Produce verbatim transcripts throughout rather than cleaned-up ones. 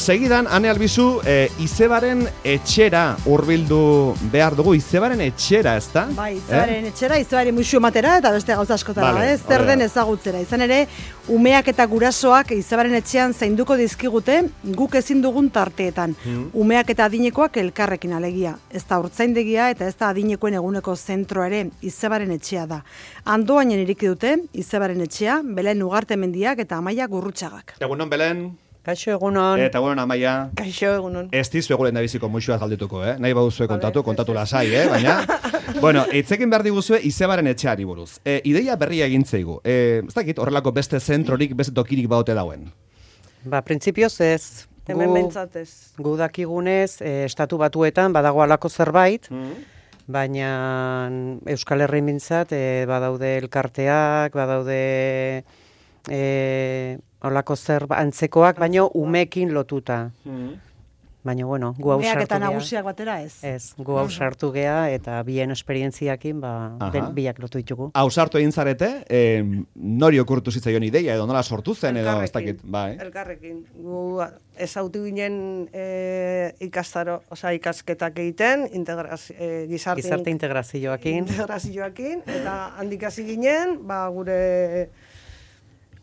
segidan, Ane Albizu, e, Izebaren etxera hurbildu behar dugu, Izebaren etxera, ez da? Bai, Izebaren eh? etxera, Izebari muxu ematera eta beste gauza askotara, vale, ez? Zer den ezagutzera. Izan ere, umeak eta gurasoak Izebaren etxean zainduko dizkigute guk ezin dugun tarteetan. Hmm. Umeak eta adinekoak elkarrekin alegia. Ez da urtzaindegia eta ez da adinekoen eguneko zentro ere, Izebaren etxea da. Andoainen iriki dute, Izebaren etxea, Belen Ugarte Mendiak eta Amaia Gurrutxagak. Egunon, Belen. Kaixo egunon. Eta egunon, Amaia. Kaixo egunon. Ez dizu eguren da biziko muixua galdituko, eh? Nahi baduzue kontatu, kontatu lasai, eh? Baina, bueno, itzekin behar diguzue Izebaren etxeari buruz. E, ideia berria egin zeigu. E, ez dakit, horrelako beste zentrorik, beste tokirik baute dauen? Ba, printzipioz ez. Hemen bentsatez. Gu dakigunez, e, estatu batuetan badago alako zerbait, mm. baina Euskal Herrin bintzat e, badaude elkarteak, badaude... E, Olako zer antzekoak, baino umekin lotuta. Mm. Baina, bueno, gu hau sartu gea. Umeak eta nagusiak batera ez. Ez, gu hau sartu gea eta bien esperientziakin ba, ben, biak lotu ditugu. Hau sartu egin zarete, eh, nori okurtu zitzaion ideia edo nola sortu zen edo ez dakit. Bai. Elkarrekin. Gu ezautu ginen e, ikastaro, oza, ikasketak egiten, integrazio, e, gizarte, gizarte integrazioakin. Integrazioakin, eta handik hasi ginen, ba, gure...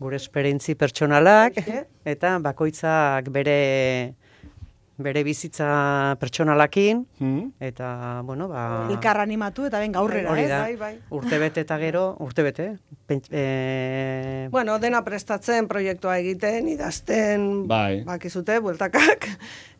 Gure esperientzi pertsonalak, eta bakoitzak bere bere bizitza pertsonalakin, hmm. eta, bueno, ba... Elkar animatu eta ben gaurrera, ez? Bai, bai. Urtebete eta gero, urtebete. E... Bueno, dena prestatzen, proiektua egiten, idazten, bai. Bakizute, bueltakak,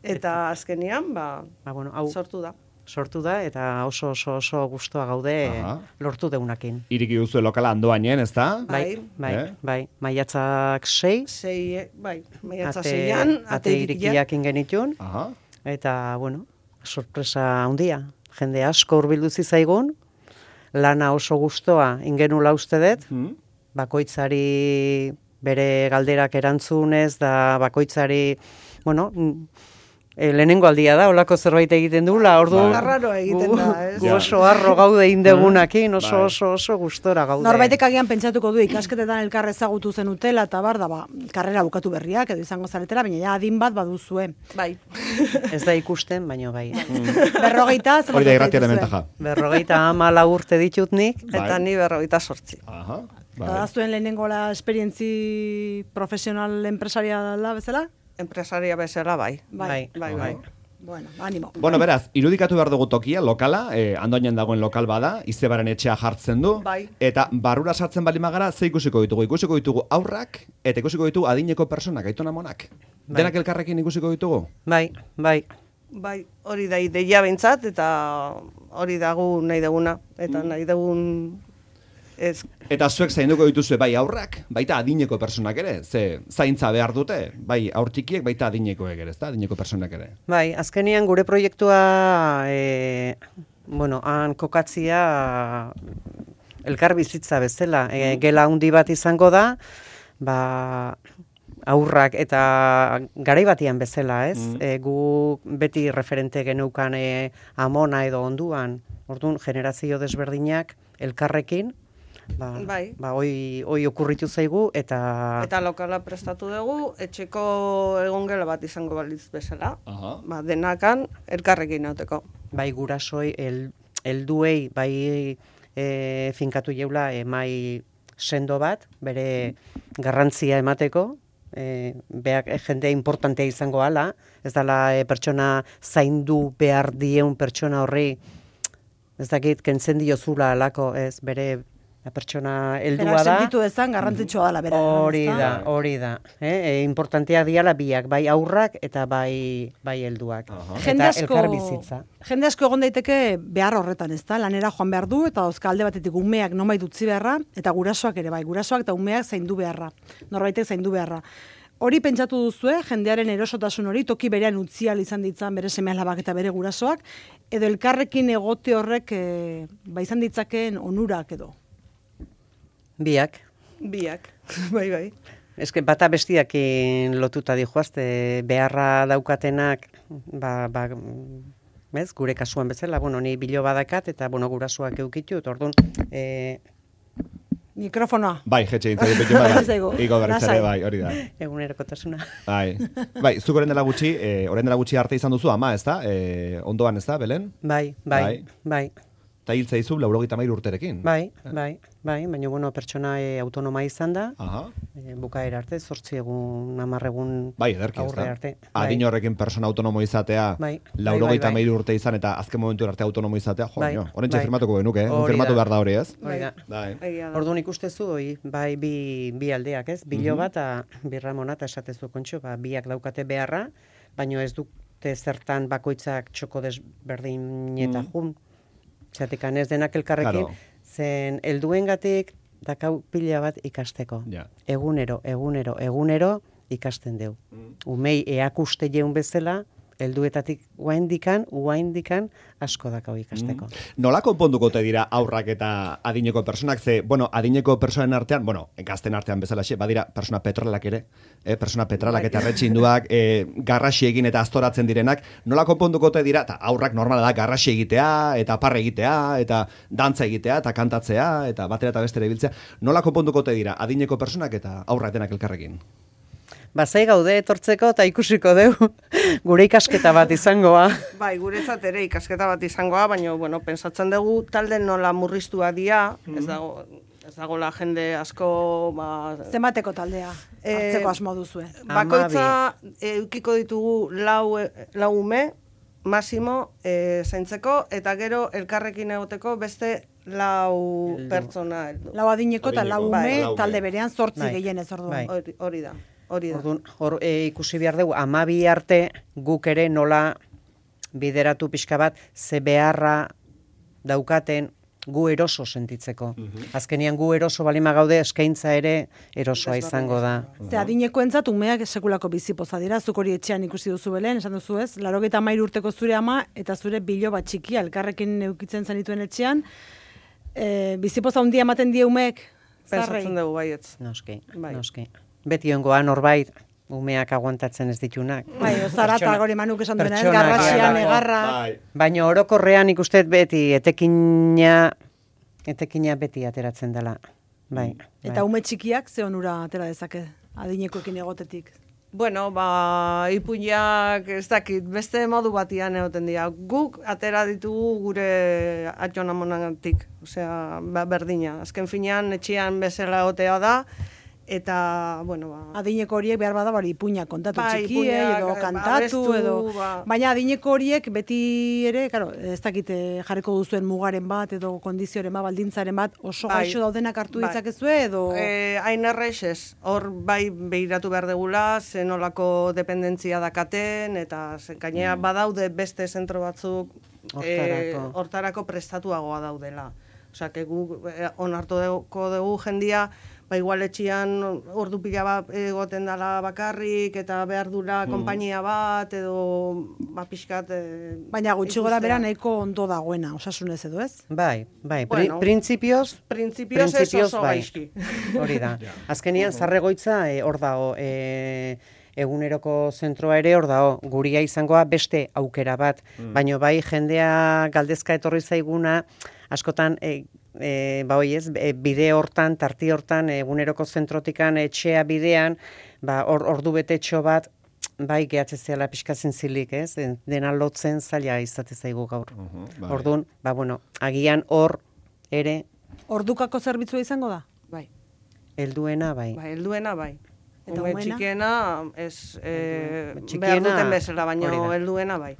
eta azkenian, ba, ba bueno, hau... sortu da. sortu da, eta oso oso oso gustoa gaude Aha. lortu deunakin. Iriki duzu lokala Andoainen, ez da? Bai, bai, eh? bai. Maiatzak sei. Sei, bai, maiatzak seian. Ate irikiak ingenitun. Aha. Eta, bueno, sorpresa handia. Jende asko hurbildu zaigun, lana oso gustoa ingenula uste dut, hmm. bakoitzari bere galderak erantzunez, da bakoitzari, bueno... E, lehenengo aldia da, olako zerbait egiten dula, ordu... Arraro egiten da, ez? Gu oso harro gaude indegunakin, oso oso oso gustora gaude. Norbaitek agian pentsatuko du ikasketetan elkar ezagutu zen utela, eta bar, da, ba, karrera bukatu berriak, edo izango zaretela, baina ja adin bat baduzue. Bai. Ez da ikusten, baino bai. Berrogeita, hori da irratia elementaja. Berrogeita amala urte ditut nik, bai. Eta ni berrogeita sortzi. Aha. Bai. Eta daztuen lehenengo la esperientzi profesional empresariala bezala? Empresaria bezala, bai. Bai, bai, bai. Bueno, animo. Bueno, beraz, irudikatu behar dugu tokia, lokala, eh, Andoainen dagoen lokal bada, Izebaren etxea jartzen du, bai. Eta barrura sartzen bali magara, ze ikusiko ditugu? Ikusiko ditugu aurrak, eta ikusiko ditugu adineko personak, aitona monak. Bai. Denak elkarrekin ikusiko ditugu? Bai, bai. Bai, hori da ideia bentsat, eta hori dagu nahi duguna, eta mm. nahi dugun... Ez. Eta zuek zainduko dituzue bai aurrak, baita adineko personak ere, ze zaintza behar dute, bai aurtikiek, baita adinekoek ere, ezta, adineko personak ere. Bai, azkenian gure proiektua, e, bueno, han kokatzia elkar bizitza bezala, e, gela handi bat izango da, ba, aurrak eta garai batian bezala, ez? Mm. E, gu beti referente geneukan e, amona edo onduan, orduan generazio desberdinak elkarrekin, Ba, bai. ba hoi, hoi okurritu zaigu eta... Eta lokala prestatu dugu, etxeko egongela bat izango balitz bezala. Aha. Ba, denakan elkarrekin nauteko. Bai gurasoi, el, elduei, bai e, finkatu jeula emai sendo bat, bere garrantzia emateko, e, beak, e, jende importantea izango hala, ez dela e, pertsona zaindu behar dieun pertsona horri, ez dakit, kentzen diozula alako, ez bere... La pertsona heldua da. Berak sentitu dezan garrantzitsua dela bera. Hori da, hori da. Eh? E, importantea diala biak, bai aurrak eta bai bai helduak. Eta elkar bizitza. Jende asko egon daiteke behar horretan, ezta? Lanera joan behar du eta dauzka alde batetik umeak nonbait utzi beharra eta gurasoak ere bai, gurasoak eta umeak zaindu beharra. Norbaitek zaindu beharra. Hori pentsatu duzue, jendearen erosotasun hori toki berean utzi ahal izan ditzan bere seme-alabak eta bere gurasoak, edo elkarrekin egote horrek e, ba izan ditzakeen onurak edo. Biak. Biak, bai, bai. Ez que bata bestiakin lotuta dijoazte, beharra daukatenak, ba, ba, bez, gure kasuan bezala, bueno, ni bilo badakat, eta, bueno, gurasoak eukitut, orduan, e, Mikrofonoa. Bai, jetxe intzai pekin bada. Zaigu. Iko berriz ere, Lasai. bai, hori da. Egunerokotasuna. Bai, bai, zuk orain dela gutxi, eh, orain dela gutxi arte izan duzu ama, ez da? Eh, ondoan, ez da, Belen? Bai, bai, bai. Eta hil zaizu laurogeita hamairu urterekin. Bai, bai, bai, baina bueno, pertsona e, autonoma izan da, Aha. e, bukaera arte, zortzi egun, hamar egun Bai, ederki, ez aurre da? arte. Adin horrekin persona autonomo izatea, Bai, laurogeita bai, bai, hamairu urte izan eta azken momentu arte autonomo izatea, jo, Bai, jo, horrentxe bai. firmatuko genuke, eh? Hori Firmatu da. behar da hori, ez? Hori da. Bai. Egia da. Orduan ikustezu, hoi, bai bi, bi aldeak, ez? Bilo bat, eta birramona, eta esatezu kontxo, ba, biak daukate beharra, baino ez dute zertan bakoitzak txoko desberdineta jun. Zatekan ez denak elkarrekin, Claro. zen helduengatik dakau pila bat ikasteko. Ja. Egunero, egunero, egunero ikasten deu. Umei eakuste jeun bezala, helduetatik uaindikan, uaindikan asko dakau ikasteko. Nola konponduko te dira aurrak eta adineko personak, ze, bueno, adineko personen artean, bueno, gazten artean bezalaxe, badira persona petrolak ere, eh, persona petralak eta retxinduak, eh, garrasi egin eta astoratzen direnak, nola konponduko te dira, eta aurrak normala da, garrasi egitea, eta parre egitea, eta dantza egitea, eta kantatzea, eta batera eta bestera ibiltzea, nola konponduko te dira adineko personak eta aurrak denak elkarrekin? Bazai gaude etortzeko eta ikusiko deu gure ikasketa bat izangoa. Bai, guretzat ere ikasketa bat izangoa, baina, bueno, pensatzen dugu talde nola murriztua dira, ez dago, ez dagoela jende asko, ba... Zenbateko taldea Eh, hartzeko asmo duzue. Bakoitza eukiko ditugu lau, lau ume, masimo, e, zaintzeko, eta gero elkarrekin egoteko beste lau Heldu. pertsona heldu. Lau adineko eta lau Adineko. ume Bai. talde berean zortzi Bai. gehienez orduan. Bai. Hori, hori da, hori da. Orduan, hor e, ikusi behar dugu, amabi arte guk ere nola bideratu pixka bat, ze beharra daukaten gu eroso sentitzeko. Azkenian gu eroso balima gaude, eskaintza ere erosoa izango da. Ze adinekoentzat umeak sekulako bizipoza dira, zuk hori etxean ikusi duzu Belen, esan duzu ez, laurogeita hamairu urteko zure ama eta zure bilo bat txikia elkarrekin eukitzen zenituen etxean, e, bizipoza handia ematen die umeek, zarrei. Pensatzen dugu baietz. Noski, Bai. noski. Beti ongoa norbait, umeak aguantatzen ez ditunak. Bai, ozarata Pertsona- gori manuk esan duena, ez, pertsonak garrasian, bai. egarra. Baina orokorrean ikusten beti etekina, etekina beti ateratzen dela. Bai. Eta ume txikiak ze onura atera dezake adinekoekin egotetik. Bueno, ba, ipuinak ez dakit, beste modu batian egoten dira. Guk atera ditugu gure atxon amonagatik, osea, ba, berdina. Azken finean, etxean bezala egotea da, eta, bueno, ba... Adineko horiek behar bada bari ipuinak kontatu Bai, txikiei ipuinak, edo ba, kantatu abestu, edo... ba. Baina adineko horiek beti ere, claro, ez dakite jarriko duzuen mugaren bat edo kondizioren bat, baldintzaren bat, oso Bai. gaixo daudenak hartu Bai. ditzakezue edo... Eh, hain errez ez, hor bai behiratu behar degula, zenolako dependentzia dakaten, eta ze- gainera badaude beste zentro batzuk eh, Hortarako. hortarako prestatuagoa daudela. Osea, que gu eh, onartu dugu, dugu jendia, ba igual etxian ordu pila bat egoten dela bakarrik, eta behar dula konpainia bat, edo ba pixkat... Eh, Baina gutxi gora ikustea. bera nahiko ondo dagoena, osasunez edo ez? Bai, bai, pri, Bueno, printzipioz, Printzipioz ez printzipioz, oso bai. gaizki. Hori da. Azkenian, zarregoitza e, hor dago, e, eguneroko zentroa ere hor dago, guria izangoa beste aukera bat, baino bai jendea galdezka etorri zaiguna, askotan, e, e, ba hoi ez, e, bide hortan, tarti hortan, eguneroko zentrotikan etxea bidean, ba hor ordu betetxo bat, bai gehatze zehala pixka zintzilik, ez? Dena lotzen zaila izate zaigu gaur. bai. Orduan, ba bueno, agian hor ere Ordukako zerbitzua izango da? Bai. helduena bai. Ba, helduena bai. Eta Ume umeena? txikiena ez eh, Txikiena, behar duten bezala, baina hori da. helduena bai.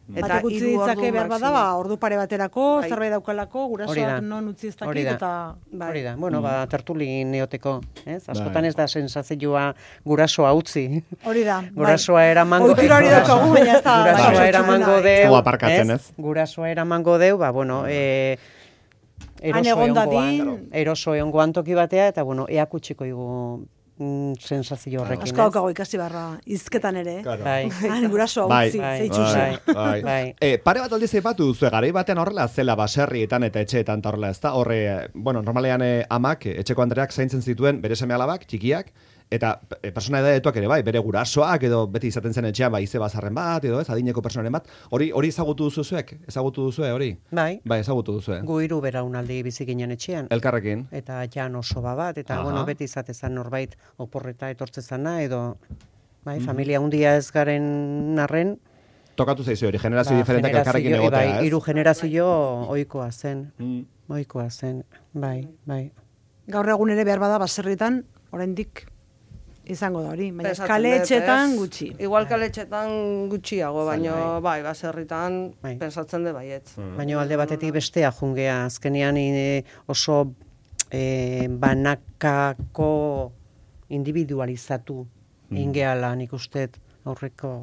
Batek utzi hiru ordu ditzake behar bada, maximo. ba, ordu pare baterako, Bai. zerbait daukalako, Hori da. gurasoak non utzi ez Hori dakit, da. eta... Bai. Hori da, bueno, ba, tertuli neoteko, ez? Askotan Bai. ez da sensazioa gurasoa utzi. Hori da. bai. Gurasoa eramango... Ohitura hori daukagu, baina ez da... Gurasoa bai, eramango bai. deu, Zu aparkatzen, ez? Gurasoa eramango deu, ba, bueno, e, Han eroso egon egongoan, dadin. eroso egongoan toki batea, eta, bueno, eakutsiko igu mm, sensazio horrekin, Asko daukago ikasi barra, izketan ere. eh? Claro. Bai. Han gurasoa Bai, utzi, bai, zeitxusi. bai, bai. Bai. E, pare bat aldiz aipatu duzu, garai batean horrela zela baserrietan eta etxeetan eta horrela, ezta? Horre, bueno, normalean eh, amak, eh, etxeko andreak zaintzen zituen bere seme alabak, txikiak, Eta e, persona edadetuak ere bai, bere gurasoak edo beti izaten zen etxean, bai, izeba zarren bat, edo ez, adineko personaren bat, hori hori ezagutu duzu zuek? Ezagutu duzue hori? Bai. Bai, ezagutu duzue. Gu hiru beraunaldi bizi ginen etxean. Elkarrekin. Eta jan oso bat, eta Aha. bueno, beti izatezan norbait oporreta etortzezana, edo bai, familia hundia ez garen arren, Tokatu zaizu hori, generazio ba, diferentak elkarrekin generazio- egotea, bai, ez? hiru generazio ohikoa zen. Mm. Ohikoa zen, bai, bai. Gaur egun ere behar bada baserritan, oraindik izango da hori, baina Pentsatzen kale dut, etxetan ez? gutxi. Igual kale etxetan gutxiago, baina bai, baserritan Bai. pensatzen de baietz. Baina alde batetik bestea jungea, azkenean e, oso e, banakako individualizatu ingeala nik usteet aurreko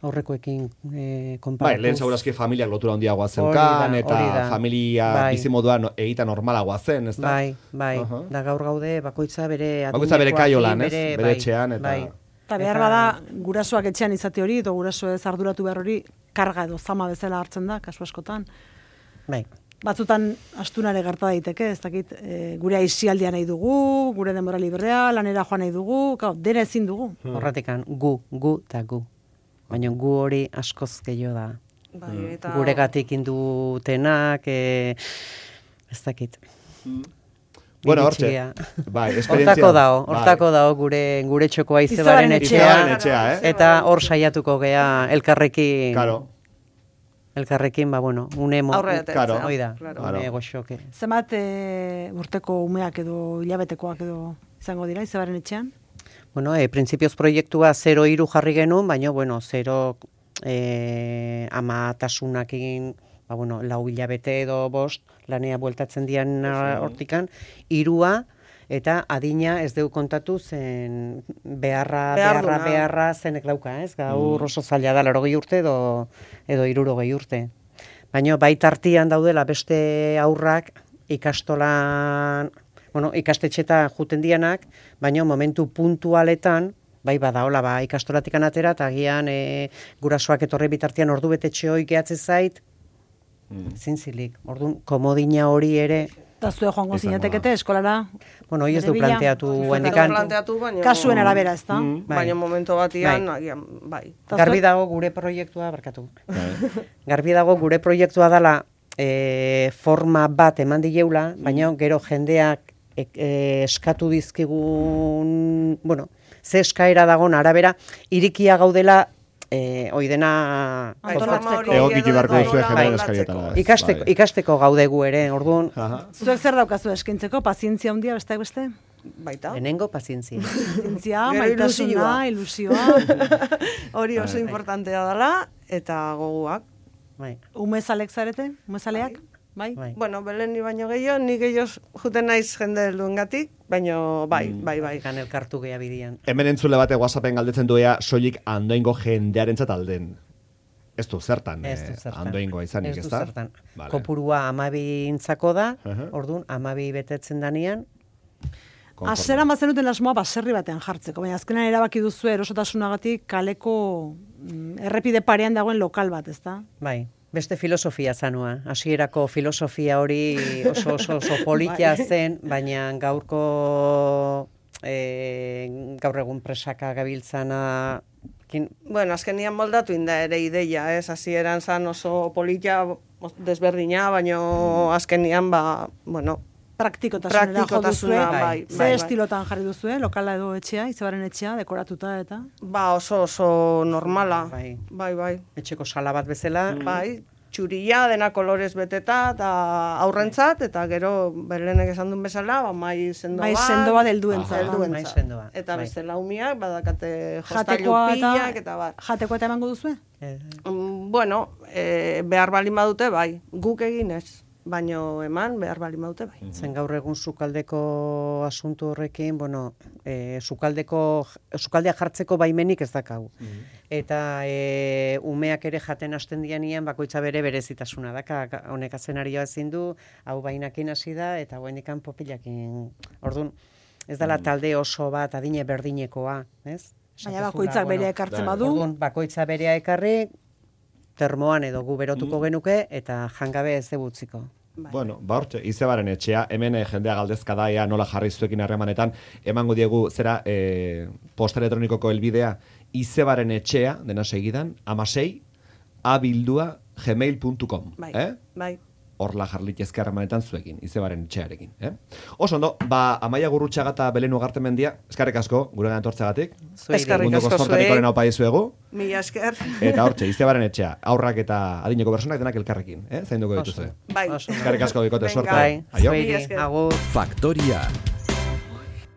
aurrekoekin e, konparatuz. Bai, lehen segurazki familiak lotura handiagoa Hori zeukan, da, eta hori da. familia Bai. bizimodua no, egita normalagoa zen, ez da? Bai, bai, Aha. da gaur gaude bakoitza bere Bakoitza bere adinekoarekin, kaiolan, ez? bere- Bere bai, etxean, eta- bai. Eta behar bada, gurasoak etxean izate hori, edo guraso ez arduratu behar hori, karga edo zama bezala hartzen da, kasu askotan. Bai. Batzutan astunare gerta daiteke, ez dakit, e, gure aisialdia nahi dugu, gure denbora librea, lanera joan nahi dugu, kau, dena ezin dugu. Horratikan gu, gu eta gu. Baina gu hori askoz gehiago da. Bai, eta Guregatik indutenak, e, ez dakit. Bueno, hortxe, Iritsia. bai, esperientzia. Hortako dao, bai. hortako dao gure gure txokoa Izebaren izebaren etxea. Izebaren etxea. etxea, eh? Eta hor saiatuko gea elkarrekin, Claro. elkarrekin, ba bueno, une mo, aurre Claro. hoi da, Claro. une goxoke. Zenbat e, urteko umeak edo hilabetekoak edo izango dira, izabaren etxean? Bueno, e, printzipioz proiektua zero hiru jarri genuen, baina, bueno, zero e, amatasunakin, ba, bueno, lau hilabete edo bost, lanea bueltatzen dian hortikan, hirua, eta adina ez deu kontatu zen beharra, beharra, Beharduna. beharra zenek dauka, ez? Gaur oso zaila da, larogei urte edo, edo hirurogei urte. Baina bai tartian daudela beste aurrak ikastolan, bueno, ikastetxeta juten dianak, baina momentu puntualetan, bai badaola, ba, ikastolatikan atera, eta agian e, gurasoak etorri bitartian ordu betetxe hoi gehatze zait, zintzilik. Orduan, komodina hori ere, Eta zue joango Izango zinatekete eskolara? bueno, hoi ez bere du bila? planteatu Ez du hendikan. planteatu, baina... Kasuen arabera, ez da? Mm. Bai. Baina momento batian, Bai. agian, bai. Eta Garbi zuek- dago gure proiektua, barkatu. Garbi dago gure proiektua dela e, forma bat eman dileula, baina gero jendeak e, e, eskatu dizkigun, bueno, ze eskaera dagon arabera, irikia gaudela e, oidena Bai, kontatzeko. forma hori Egokitu edo beharko nola duzue jendeen moldatzeko. eskarietara. ez? Ikasteko, Bai. ikasteko gaude gu ere, orduan, Aha. Zuek zer daukazu eskaintzeko, pazientzia handia besteak beste? Baita. lehenengo pazientzia. Pazientzia, Gero maitasuna, ilusioa, Hori oso importantea dela, eta goguak. Bai, umezalek zarete, umezaleak? Bai? bai. Bueno, Belen ni baino gehiago, ni gehiago juten naiz jende helduengatik, baino bai, bai, bai. Kan elkartu gea bidian. Hemen entzule bate WhatsAppen galdetzen duea soilik andoingo jendearentzat alden. Ez du zertan, Ez du eh, zertan. andoingoa izanik, Ez ez du da? zertan. Vale. Kopurua amabi intzako da, Aha. orduan amabi betetzen danean, Konforme. Azeran bazenuten asmoa baserri batean jartzeko, baina azkenan erabaki duzu erosotasunagatik kaleko mm, errepide parean dagoen lokal bat, ezta? bai, beste filosofia zanua. Hasierako filosofia hori oso oso, oso politia zen, baina gaurko e, gaur egun presaka gabiltzana kin, Bueno, azkenian moldatu inda ere ideia, ez? Hasieran zan oso polita desberdina, baino azkenian, ba, bueno, Praktikotasunera jo duzue, Praktikotasuna, bai, bai, ze bai, bai. estilotan jarri duzue, lokala edo etxea, izabaren etxea, dekoratuta eta... ba oso oso normala. Bai. Bai, bai. etxeko sala bat bezala, Bai, txuria, dena kolorez beteta, eta aurrentzat, eta gero berlenek esan duen bezala, ba, mai sendo Bai, bat. sendo bat helduentzat. helduentzat. Mai sendoa, Eta bai. beste laumiak, badakate jostailu Jatekoa eta, pilak, eta bar. jatekoa eta emango duzue? eh, Mm, Bueno, e, behar baldin badute, bai. Guk egin ez, baino eman behar baldin badute, bai. zen gaur egun sukaldeko asuntu horrekin, bueno, e, sukaldeko, sukaldea jartzeko baimenik ez dakau. Eta e, umeak ere jaten hasten dianian bakoitza bere berezitasuna daka, Ka- honek azenarioa ezin du, hau bainakin hasi da, eta hoendikan popilakin. Orduan, ez dela talde oso bat adine berdinekoa, ez? Baina Esatezula, bakoitzak bueno, berea ekartzen bai. badu, Orduan, bakoitza berea ekarri, termoan edo gu berotuko genuke, eta jangabe ez debutziko. Bueno, ba hortxe, izebaren etxea, hemen eh, jendea galdezka da, ea nola jarri zuekin harremanetan, emango diegu, zera, eh, posta elektronikoko helbidea, izebaren etxea, dena segidan, amasei, abildua, gmail puntu com. Bai, eh? bai. Horla jarlitezke harremanetan zuekin, izebaren etxearekin. Eh? Oso ondo, ba, Amaia Gurrutxaga eta Belen Ugarte mendia, eskarrik asko, gure gantortzagatik. Eskerrik Mundoko asko zortarikoaren hau paizuegu. Mila esker. Eta hortxe, izebaren etxea, aurrak eta adineko personak denak elkarrekin. Eh? Zainduko dituzue. Bai. Eskarrik asko bikote, Venga. suerte. Bai, Aio. zuei, Mila esker. agur. Faktoria.